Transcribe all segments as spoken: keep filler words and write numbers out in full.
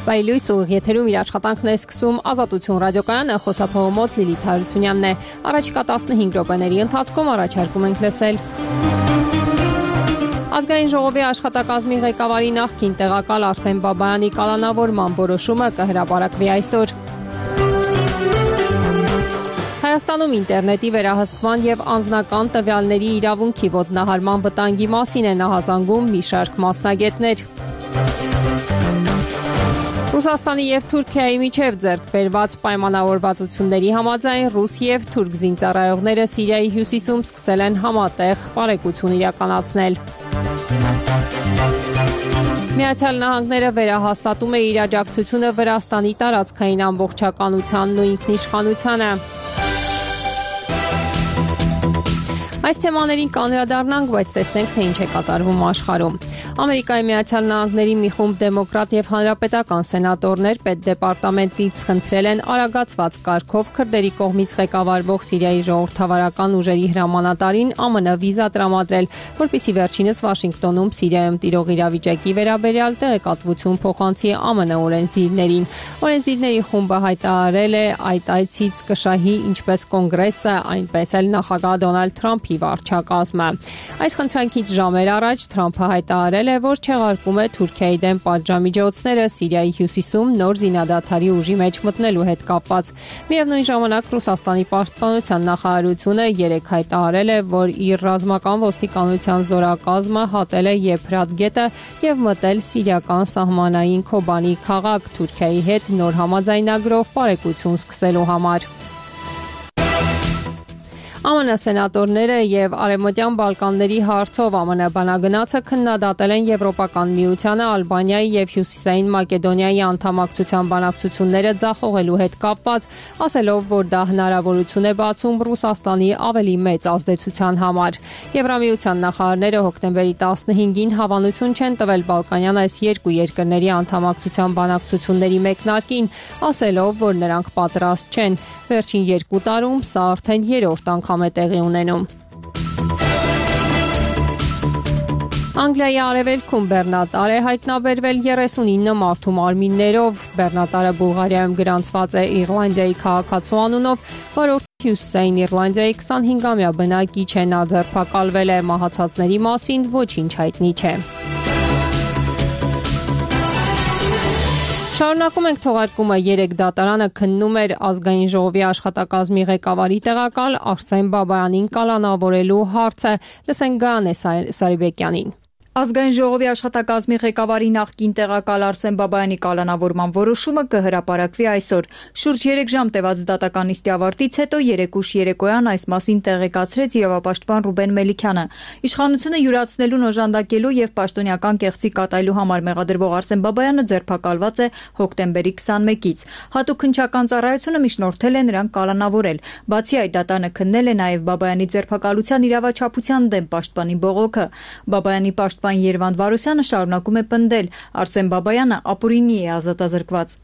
Բայլույս ուղիղ եթերում իր աշխատանքն է սկսում Ազատություն ռադիոկայանը, խոսափողոմոց Լիլիթ Հարությունյանն է։ Առաջիկա տասնհինգ րոպեների ընթացքում առաջարկում ենք լսել Ազգային ժողովի աշխատակազմի ղեկավարի նախկին տեղակալ Արսեն Բաբայանի կալանավորման որոշումը կհրապարակվի այսօր։ Հայաստանում ինտերնետի վերահսկման եւ անձնական տվյալների իրավունքի ոտնահարման վտանգի մասին են ահազանգում մի շարք մասնագետներ։ Ռուսաստանի եւ Թուրքիայի միջև ձեռք բերված պայմանավորվածությունների համաձայն ռուս եւ թուրք զինծառայողները Սիրիայի հյուսիսում սկսել են համատեղ պարեկություն իրականացնել։ Միացյալ Նահանգները վերահաստատում է իր աջակցությունը Վրաստանի տարածքային ամբողջականությանն ու ինքնիշխանությանը։ Այս թեմաներին կանդրադառնանք, բայց տեսնենք, թե ինչ է կատարվում աշխարհում։ Ամերիկայի Միացյալ Նահանգների մի խումբ դեմոկրատ եւ հանրապետական սենատորներ պետդեպարտամենտից խնդրել են արագացված կարգով քրդերի կողմից ղեկավարվող Սիրիայի ժողովրդավարական ուժերի հրամանատարին ԱՄՆ վիզա տրամադրել, որպեսզի վերջինս Վաշինգտոնում Սիրիայում տիրող իրավիճակի վերաբերյալ տեղեկատվություն փոխանցի ԱՄՆ օրենսդիրներին։ Օրենսդիրների խումբը հայտարարել է այդ այցից կշահի ինչպես կոնգրեսը, այնպես էլ նախագահ Դոնալդ Թրամփի վարչակազմը։ Այս խնդրանքից ժամեր առաջ Թրամփը հայտարարել է, որ չեղարկում է Թուրքիայի դեմ պատժամիջոցները Սիրիայի հյուսիսում նոր զինադադարի ուժի մեջ մտնելու հետ կապված։ Միևնույն ժամանակ Ռուսաստանի պաշտպանության նախարարությունը երեկ հայտարարել է, որ իր ռազմական ոստիկանության զորակազմը հատել է Եփրատ գետը եւ մտել սիրիական սահմանային Քոբանի քաղաք Թուրքիայի հետ նոր համաձայնագրով պարեկություն սկսելու համար։ ԱՄՆ սենատորները եւ Արևմտյան Բալկանների հարցով ԱՄՆ բանագնացը քննադատել են Եվրոպական միությանը Ալբանիայի եւ Հյուսիսային Մակեդոնիայի անդամակցության բանակցությունները ձախողելու հետ կապված, ասելով, որ դա հնարավորություն է բացում Ռուսաստանի ավելի մեծ ազդեցության համար։ Եվրամիության նախարարները հոկտեմբերի տասնհինգին հավանություն չեն տվել Բալկանյան այս երկու երկրների անդամակցության բանակցությունների մեկնարկին, ասելով, որ նրանք պատրաստ չեն։ Վերջին երկու տարում սա արդեն երրորդ անգամ է տեղի ունենում։ Անգլիայի արևելքում բեռնատար է հայտնաբերվել երեսունինը մարդու մարմիններով։ Բեռնատարը Բուլղարիայում գրանցված է Իռլանդիայի քաղաքացու անունով, որը Հյուսիսային Իռլանդիայի քսանհինգամյա բնակիչ է, նա ձերբակալվել է, մահացածների մասին ոչինչ հայտնի չէ։ Շարունակում ենք թողարկումը երեք դատարանը քննում էր Ազգային ժողովի աշխատակազմի ղեկավարի տեղակալ Արսեն Բաբայանին կալանավորելու հարցը։ Լսենք Գայանե Սարիբեկյանին։ Ազգային ժողովի աշխատակազմի ղեկավարի նախկին տեղակալ Արսեն Բաբայանի կալանավորման որոշումը կհրապարակվի այսօր։ Շուրջ երեք ժամ տևած դատական նիստի ավարտից հետո երեկուշ երեկոյան այս մասին տեղեկացրեց իրավապաշտպան Ռուբեն Մելիքյանը։ Իշխանությունը յուրացնելուն օժանդակելու եւ պաշտոնյական կեղծի կատարելու համար մեղադրվող Արսեն Բաբայանը ձերբակալված է հոկտեմբերի քսանմեկից։ Հատուկ քննչական ծառայությունը միջնորդել է նրան կալանավորել։ Բացի այդ, դատանը քննել է նաեւ Բաբայանի ձերբակալության իրավաչափության դեմ պաշտպանի բողոքը։ Բաբայանի պաշտ Երվանդ Վարուսյանը շարունակում է պնդել, Արսեն Բաբայանը ապօրինի է ազատազրկված։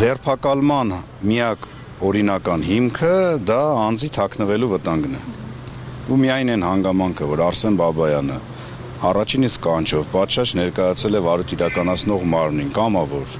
Ձերբակալման միակ օրինական հիմքը դա անձի թաքնվելու վտանգն է։ Ու միայն այն հանգամանքը, որ Արսեն Բաբայանը առաջին իսկ կանչով պատշաճ ներկայացել է վարույթ իրականացնող մարմնին, կամավոր,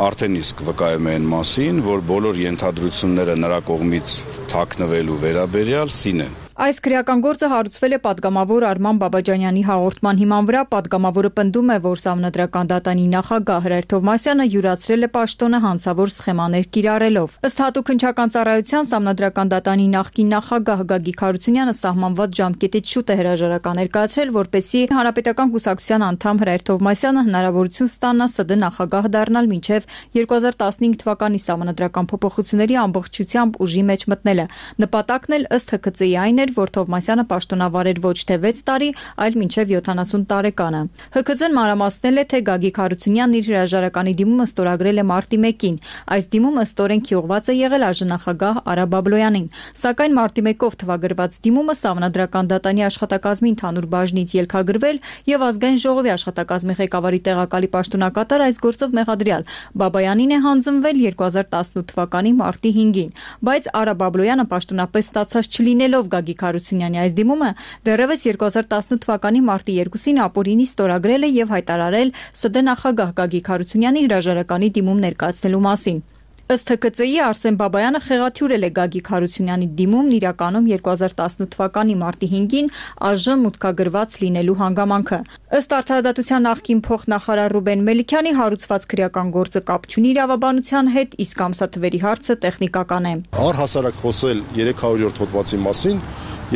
արդեն իսկ վկայում է այն մասին, որ բոլոր ենթադրությունները նրա կողմից թաքնվելու վերաբերյալ սին են։ Այս քրեական գործը հարուցվել է պատգամավոր Արման Բաբաջանյանի հաղորդման հիման վրա։ Պատգամավորը պնդում է, որ Սահմանադրական դատանի նախագահ Հրայր Թովմասյանը յուրացրել է պաշտոնը հանցավոր սխեմաներ կիրառելով։ Ըստ հատուկ քննչական ծառայության Սահմանադրական դատանի նախկին նախագահ Գագիկ Հարությունյանը սահմանված ժամկետից շուտ է հրաժարական ներկայացրել, որպեսզի Հանրապետական կուսակցության անդամ Հրայր Թովմասյանը հնարավորություն ստանա ՍԴ նախագահ դառնալ մինչև երկու հազար տասնհինգ թվականի Սահմանադրական փոփոխությունների ամբողջությամբ ուժի մեջ մտնելը։ Նպատակն էլ ըստ Հ K Ծ-ի այն էր, որ Թովմասյանը պաշտոնավարեր ոչ թե վեց տարի, այլ մինչև յոթանասուն տարեկանը։ Հ K Ծ-ն մանրամասնել է, թե Գագիկ Հարությունյանն իր հրաժարականի դիմումը ստորագրել է մարտի մեկին։ Այս դիմումը ստորեն քիղված է եղել այժմնախագահ Արա Բաբլոյանին։ Սակայն մարտի մեկով թվագրված դիմումը Սահմանադրական դատանի աշխատակազմի ընդհանուր բաժնից ելքագրվել եւ Ազգային ժողովի աշխատակազմի ղեկավարի տեղակալի պաշտոնակատար այս գործով մեղադրյալ Բաբայանին է հանձնվել երկու հազար տասնութ թվականի մարտի հինգին, բայց Արա Բաբլոյանը պաշտոնապես ստացած չլինելով Գագիկ Գագիկ Հարությունյանի այս դիմումը դեռևս երկու հազար տասնութ թվականի մարտի երկուսին ապօրինի ստորագրել է եւ հայտարարել ՍԴ նախագահ Գագիկ Հարությունյանի հրաժարականի դիմում ներկայացնելու մասին։ Ըստ Թ K Ծ I-ի Արսեն Բաբայանը խեղաթյուրել է Գագիկ Հարությունյանի դիմումն իրականում երկու հազար տասնութ թվականի մարտի հինգին ԱԺ մուտքագրված լինելու հանգամանքը։ Ըստ Արդարադատության նախկին փոխնախարար Ռուբեն Մելիքյանի հարուցված քրեական գործը կապ չունի իրավաբանության հետ, իսկ ամսաթվերի հարցը տեխնիկական է։ Առհասարակ խոսել երեք հարյուրորդ հոդվածի մասին,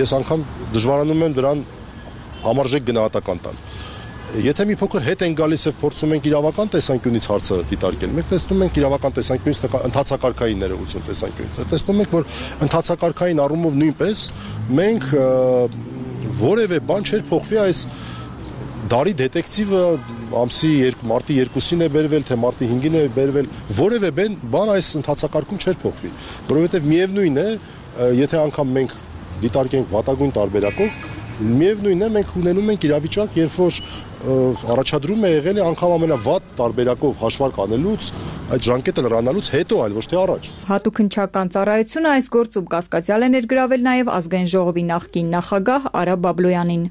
ես անգամ դժվարանում եմ դրան համարժեք գնահատական տալ։ Եթե մի փոքր հետ են գալիս եւ փորձում ենք իրավական տեսանկյունից հարցը դիտարկել, մենք տեսնում ենք իրավական տեսանկյունից ընդհանցակարգային ներողություն տեսանկյունից։ Տեսնում ենք, որ ընդհանցակարգային առումով նույնպես մենք որևէ բան չէր փոխվի այս դարի դետեկտիվը ամսի մարտի երկուսին է բերվել, թե մարտի հինգին է բերվել, որևէ բան այս ընդհանցակարգում չէր փոխվի, որովհետեւ միևնույն է, եթե անգամ մենք դիտարկենք վատագույն տարբերակով, միևնույնն է մենք ունենում ենք իրավիճակ, երբ որ առաջադրում է եղել է անգամ ամենավատ տարբերակով հաշվարկ անելուց, այդ ժամկետը լրանալուց հետո, այլ ոչ թե առաջ։ Հատուկ հնչական ծառայությունը այս գործում կասկածյալ է ներգրավել նաև Ազգային ժողովի նախկին նախագահ Արա Բաբլոյանին։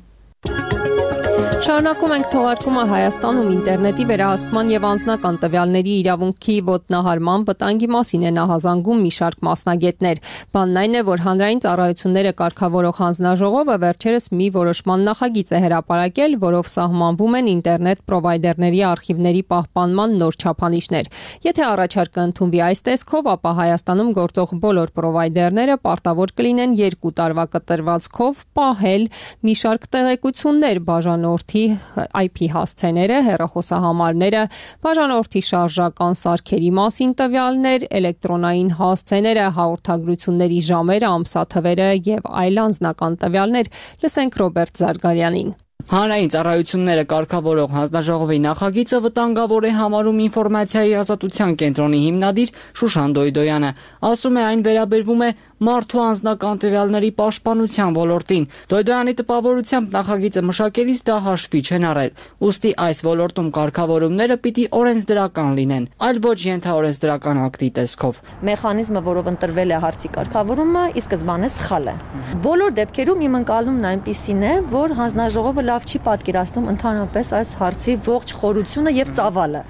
Շարունակում ենք թողարկումը Հայաստանում ինտերնետի վերահսկման եւ անձնական տվյալների իրավունքի ոտնահարման վտանգի մասին է նահազանգում մի շարք մասնագետներ։ Բանն այն է, որ հանրային ծառայությունները կարգավորող հանձնաժողովը վերջերս մի որոշման նախագիծ է հրապարակել, որով սահմանվում են ինտերնետ պրովայդերների արխիվների պահպանման նոր չափանիշներ։ Եթե առաջարկը ընդունվի այս տեսքով, ապա Հայաստանում գործող բոլոր պրովայդերները պարտավոր կլինեն երկու տարվա կտրվածքով պահել մի շարք տեղեկություններ բաժանորդ I P հասցեները, հեռախոսահամարները, բաժանորդի շարժական սարքերի մասին տվյալներ, էլեկտրոնային հասցեները, հաղորդագրությունների ժամերը, ամսաթվերը եւ այլ անձնական տվյալներ։ Լսենք Ռոբերտ Զարգարյանին։ Հանրային ծառայությունները կարգավորող հանձնաժողովի նախագիծը վտանգավոր է համարում ինֆորմացիայի ազատության կենտրոնի հիմնադիր Շուշան Դոյդոյանը։ Ասում է, այն վերաբերվում է մարդու անձնական տվյալների պաշտպանության ոլորտին։ Դոյդոյանի տպավորությամբ նախագիծը մշակելիս դա հաշվի չեն առել։ Ուստի այս ոլորտում կարգավորումները պիտի օրենսդրական լինեն, այլ ոչ ենթաօրենսդրական ակտի տեսքով։ Մեխանիզմը, որով ընտրվել է հարցի կարգավորումը, ի սկզբանե սխալ է։ Բոլոր դեպքերում իմ ընկալումն այնպիսին է, որ հանձնաժողովը լավ չի պատկերացնում ընդհանրապես այս հարցի ողջ խորությունը եւ ծավալը։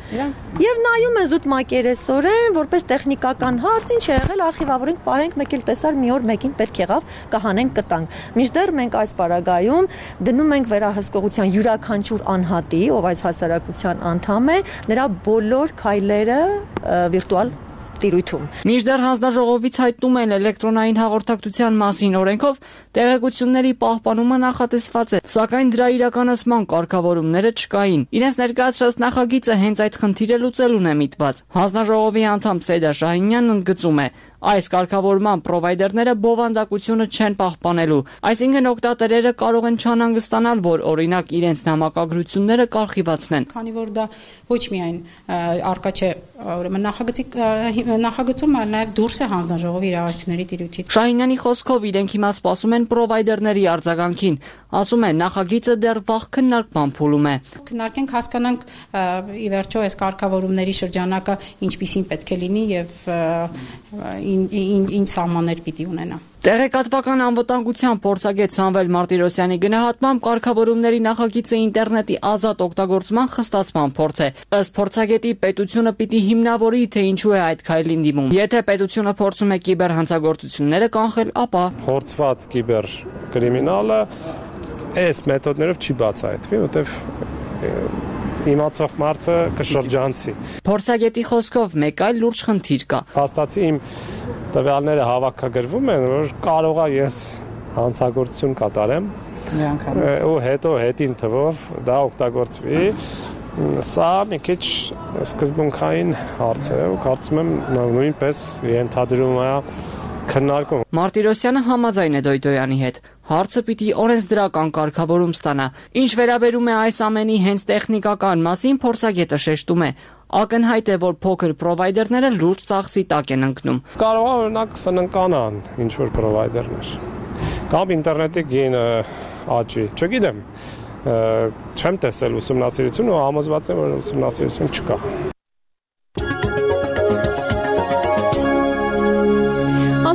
Եվ նայում են զուտ մակերեսորեն, որպես տեխնիկական հարց, ինչ է եղել, արխիվավորենք, պահենք, մեկ էլ տեսար մի օր մեկին պետք եղավ, կհանենք կտանք։ Մինչդեռ մենք այս պարագայում դնում ենք վերահսկողության յուրաքանչյուր անհատի, ով այս հասարակության անդամ է, նրա բոլոր քայլերը վիրտուալ տիրույթում։ Մինչդեռ հանձնաժողովից հայտնում են էլեկտրոնային հաղորդակցության մասին օրենքով տեղեկությունների պահպանումը նախատեսված է, սակայն դրա իրականացման կարգավորումները չկային։ Իրենց ներկայացրած նախագիծը հենց այդ խնդիրը լուծելուն է միտված։ Հանձնաժողովի անդամ Սեյդա Շահինյանն ընդգծում է, այս կարգավորման պրովայդերները բովանդակությունը չեն պահպանելու, այսինքն օգտատերերը կարող են չանհանգստանալ, որ օրինակ իրենց նամակագրությունները կարխիվացնեն։ Քանի որ դա ոչ միայն արկա չէ, ուրեմն նախագծի նախագծում, այլ նաև դուրս է հանձնաժողովի իրավասությունների տիրույթից։ Շահինյանի խոսքով իրենք հիմա սպասում են պրովայդերների արձագանքին։ Ասում են, նախագիծը դեռ վաղ քննարկման փուլում է։ Քննարկենք, հասկանանք ի վերջո այս կարգավորումների շրջանակը ինչպիսին պետք է լինի եւ ինչ սահմաններ պիտի ունենա։ Տեղեկատվական անվտանգության փորձագետ Սամվել Մարտիրոսյանի գնահատմամբ կարգավորումների նախագիծը ինտերնետի ազատ օգտագործման խստացման փորձ է։ Ըստ փորձագետի պետությունը պիտի հիմնավորի, թե ինչու է այդ քայլին դիմում։ Եթե պետությունը փորձում է կիբերհանցագործությունները կանխել, ապա փորձված կիբեր կրիմինալը այս մեթոդներով չի բացահայտվի, որտեվ իմացող մարդը կշրջանցի։ Փորձագետի խոսքով մեկ այլ լուրջ խնդիր կա։ Փաստացի իմ տվյալները հավաքագրվում են, որ կարողա ես հանցագործություն կատարեմ ու հետո հետին թվով դա օգտագործվի։ Սա մի քիչ սկզբունքային հարց է ու կարծում եմ նույնպես ենթադրում է քննարկում։ Մարտիրոսյանը համաձայն է Դոյդոյանի հետ։ Հարցը պիտի օրենսդրական կարգավորում ստանա։ Ինչ վերաբերում է այս ամենի հենց տեխնիկական մասին, փորձագետը շեշտում է։ Ակնհայտ է, որ փոքր պրովայդերները լուրջ ծախսի տակ են ընկնում։ Կարող է օրինակ սննկանան ինչ որ պրովայդերներ։ Կամ ինտերնետի գինը աճի, չգիտեմ։ Չեմ տեսել ուսումնասիրություն ու համոզված եմ, որ ուսումնասիրություն չկա։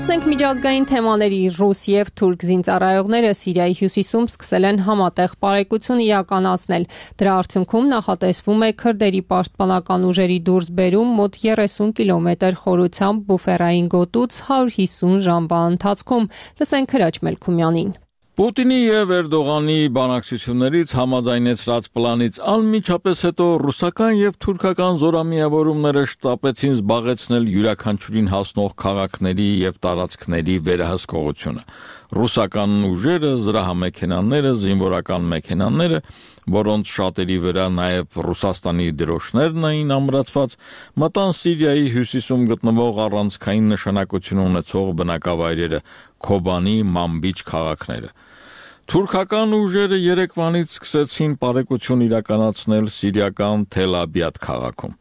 Անցնենք միջազգային թեմաների։ Ռուս եւ թուրք զինծառայողները Սիրիայի հյուսիսում սկսել են համատեղ պարեկություն իրականացնել։ Դրա արդյունքում նախատեսվում է քրդերի պաշտպանական ուժերի դուրսբերում մոտ երեսուն կիլոմետր խորությամբ բուֆերային գոտուց հարյուր հիսուն ժամվա ընթացքում։ Լսենք Քրաչ Մելքումյանին։ Պուտինի եւ Էրդողանի բանակցություններից համաձայնեցրած պլանից անմիջապես հետո ռուսական եւ թուրքական զորամիավորումները շտապեցին զբաղեցնել յուրաքանչյուրին հասնող քաղաքների եւ տարածքների վերահսկողությունը։ Ռուսական ուժերը, զրահամեքենաները, զինվորական մեքենաները, որոնց շատերի վրա նաեւ Ռուսաստանի դրոշներն էին ամրացված, մտան Սիրիայի հյուսիսում գտնվող առանցքային նշանակություն ունեցող բնակավայրերը Քոբանի, Մամբիչ քաղաքները։ Թուրքական ուժերը երեկվանից սկսեցին պարեկություն իրականացնել սիրիական Թել-Աբիադ քաղաքում։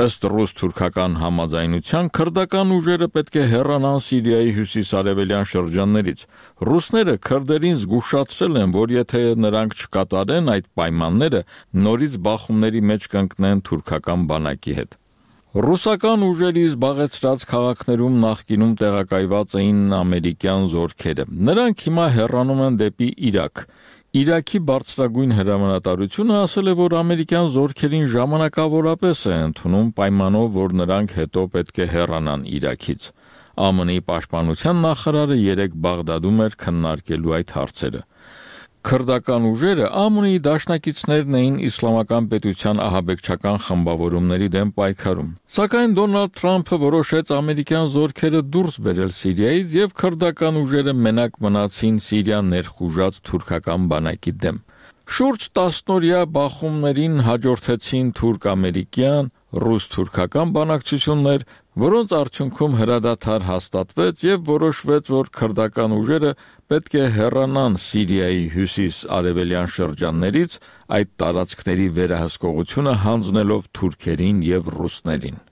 Ըստ ռուս-թուրքական համաձայնության քրդական ուժերը պետք է հեռանան Սիրիայի հյուսիս-արևելյան շրջաններից։ Ռուսները քրդերին զգուշացրել են, որ եթե նրանք չկատարեն այդ պայմանները, նորից բախումների մեջ կընկնեն թուրքական բանակի հետ։ Ռուսական ուժերի զբաղեցրած քաղաքներում նախկինում տեղակայված էին ամերիկյան զորքերը։ Նրանք հիմա հեռանում են դեպի Իրաք։ Իրաքի բարձրագույն հրամանատարությունը ասել է, որ ամերիկյան զորքերին ժամանակավորապես է ընդունում պայմանով, որ նրանք հետո պետք է հեռանան Իրաքից։ ԱՄՆ-ի պաշտպանության նախարարը երեկ Բաղդադում էր քննարկելու այդ հարցերը։ Քրդական ուժերը ԱՄՆ-ի դաշնակիցներն էին իսլամական պետության ահաբեկչական խմբավորումների դեմ պայքարում։ Սակայն Դոնալդ Թրամփը որոշեց ամերիկյան զորքերը դուրս բերել Սիրիայից եւ քրդական ուժերը մենակ մնացին Սիրիա ներխուժած թուրքական բանակի դեմ։ Շուրջ տասնօրյա բախումներին հաջորդեցին թուրք-ամերիկյան, ռուս-թուրքական բանակցություններ, որոնց արդյունքում հրադադար հաստատվեց եւ որոշվեց, որ քրդական ուժերը պետք է հեռանան Սիրիայի հյուսիս-արևելյան շրջաններից, այդ տարածքների վերահսկողությունը հանձնելով թուրքերին եւ ռուսներին։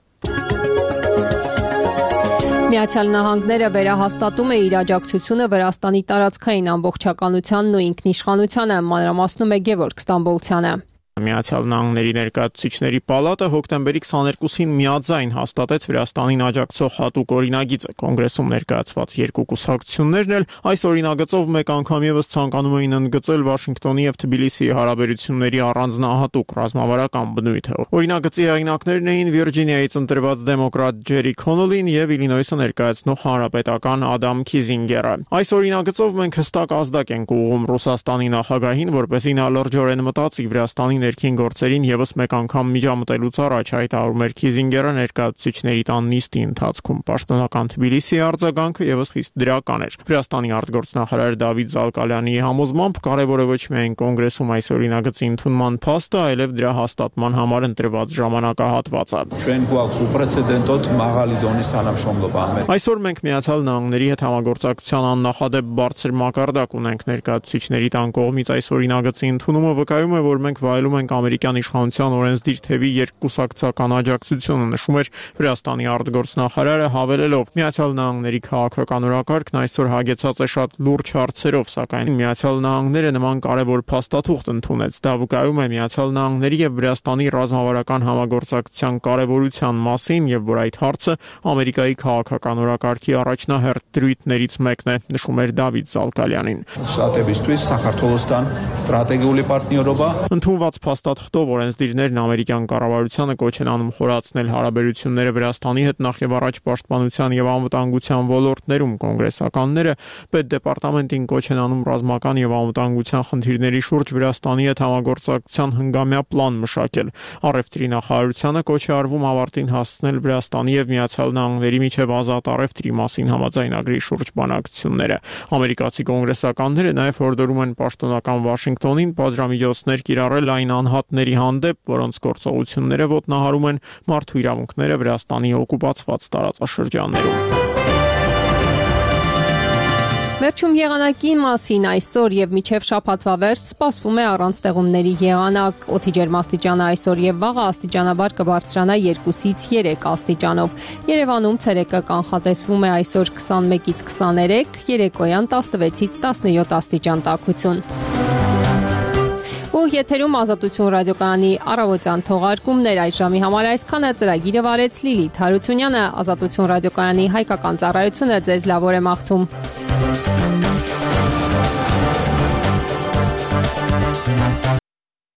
Միացյալ Նահանգները վերահաստատում է իր աջակցությունը Վրաստանի տարածքային ամբողջականությանն ու ինքնիշխանությանը, մանրամասնում է Գևորգ Ստամբոլցյանը։ Միացյալ Նահանգների ներկայացուցիչների պալատը հոկտեմբերի քսաներկուսին միաձայն հաստատեց Վրաստանին աջակցող հատուկ օրինագիծը։ Կոնգրեսում ներկայացված երկու կուսակցություններն էլ այս օրինագծով մեկ անգամ եւս ցանկանում էին ընդգծել Վաշինգտոնի եւ Թբիլիսիի հարաբերությունների առանձնահատուկ ռազմավարական բնույթը։ Օրինագծի հեղինակներն էին Վիրջինիայից ընտրված դեմոկրատ Ջերի Քոնոլին եւ Իլինոյսը ներկայացնող հանրապետական Ադամ Քիզինգերը։ Այս օրինագծով մենք հստակ ազդակ ենք ուղղում Ռուսաստանի նախագահին, որպեսզի նա լրջորեն մտածի Վրաստանի ներքին գործերին եւս մեկ անգամ միջամտելուց առաջ, հայտարարում էր Քիզինգերը ներկայացուցիչների տան նիստի ընթացքում։ Պաշտոնական Թբիլիսիի արձագանքը եւս խիստ դրական էր։ Վրաստանի արտգործնախարար Դավիթ Զալկալյանի համոզմամբ կարևորը ոչ միայն կոնգրեսում այս օրինագծի ընդունման փաստը, այլև դրա հաստատման համար ընտրված ժամանակահատվածը։ Այսօր մենք Միացյալ Նահանգների հետ համագործակցության աննախադեպ բարձր մակարդակ ունենք։ Ներկայացուցիչների տան կողմից այս օրինագծի ընդունումը վկայում է, որ մենք վայելում ենք ամերիկյան իշխանության օրենսդիր թևի երկկուսակցական աջակցությունը, նշում էր Վրաստանի արտգործնախարարը, հավելելով. Միացյալ Նահանգների քաղաքական օրակարգն այսօր հագեցած է շատ լուրջ հարցերով, սակայն Միացյալ Նահանգները նման կարևոր փաստաթուղթ ընդունեց։ Դա վկայում է Միացյալ Նահանգների եւ Վրաստանի ռազմավարական համագործակցության կարևորության մասին եւ որ այդ հարցը Ամերիկայի քաղաքական օրակարգի առաջնահերթ դրույթներից մեկն է, նշում էր Դավիթ Զալկալյանին։ Ընդունված փաստաթղթով օրենսդիրներն ամերիկյան կառավարությանը կոչ են անում խորացնել հարաբերությունները Վրաստանի հետ նախ եւ առաջ պաշտպանության եւ անվտանգության ոլորտներում։ Կոնգրեսականները պետդեպարտամենտին կոչ են անում ռազմական եւ անվտանգության խնդիրների շուրջ Վրաստանի հետ համագործակցության հնգամյա պլան մշակել։ Առևտրի նախարարությանը կոչ է արվում ավարտին հասցնել Վրաստանի եւ Միացյալ Նահանգների միջև ազատ առևտրի մասին համաձայնագրի շուրջ բանակցությունները։ Ամերիկացի կոնգրեսականները նաեւ հորդորում են պաշտոնական Վաշինգտոնին պատժամիջոցներ կիրառել այն անհատների հանդեպ, որոնց գործողությունները ոտնահարում են մարդու իրավունքները Վրաստանի օկուպացված տարածաշրջաններում։ Վերջում եղանակի մասին այսօր եւ մինչեւ շաբաթվա վերջ սպասվում է առանց տեղումների եղանակ։ Օդի ջերմաստիճանը այսօր եւ վաղը աստիճանաբար կբարձրանա երկուսից երեք աստիճանով։ Երևանում ցերեկը կանխատեսվում է այսօր քսանմեկից քսաներեք, երեկոյան տասնվեցից տասնյոթ աստիճան տաքություն։ Ու եթերում Ազատություն ռադիոկայանի առավոտյան թողարկումներ այս ժամի համար այսքանը ծրագիրը վարեց Լիլիթ Հարությունյանը, Ազատություն ռադիոկայանի հայկական ծառայությունը ձեզ լավ օր է մաղթում։